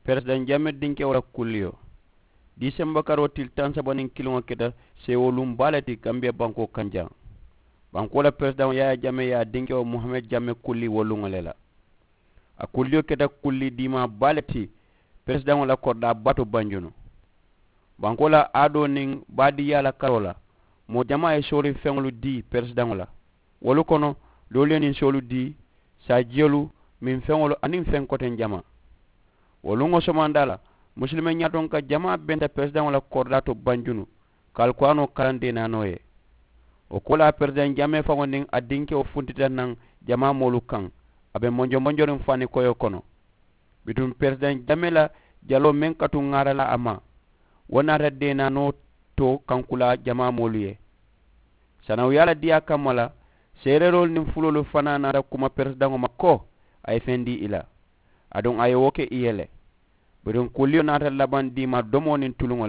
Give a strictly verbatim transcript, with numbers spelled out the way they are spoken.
Peresidaŋ jamee dinkewo la kulliyo. Diisemba karoo tili taŋ saba niŋ kiliŋo keta seewoo luŋ baa le ti kambiya bankoo kaŋ jaŋ. Bankoo la peresidaŋo yaaya jamee ye a dinkewo muhammed jamee kulli wo luŋo le la. A kulliyo keta kulli diimaa baa le ti peresidaŋo la koridaa baa to banjunu. Bankoo la aadoo niŋ baadiiyaa la karoo la moo jamaa ye sooriŋ feŋolu dii peresidaŋo la. Wolu kono doolu ye ninsoolu dii saajiyolu minfeŋolu aniŋ feŋ koteŋ jamaa. Wo luŋo somandaa la musilime ñaatoŋ ka jamaa benta peresidaŋo la koridaa to banjunu ka alkuraanoo karaŋ deenaanoo ye. Wo koolaa peresidaŋ jamee faŋo niŋ a dinkewo funtita naŋ jamaa moolu kaŋ. A be monjomonjoriŋ faani koyoo kono. Bituŋ peresidaŋ jamee la jaloo meŋ ka tuŋ ŋaara la a ma wo naata deenaanoo to kankulaa jamaa moolu ye. Sanawuyaa la diyaa kamma la seereeroolu niŋ fuloolu fanaa naata kuma peresidaŋo ma ko a ye feŋ dii i la. Aduŋ a ye wo ke i ye le. Bituŋ kulliyo naata labaŋ diimaa domoo niŋ tuluŋo la.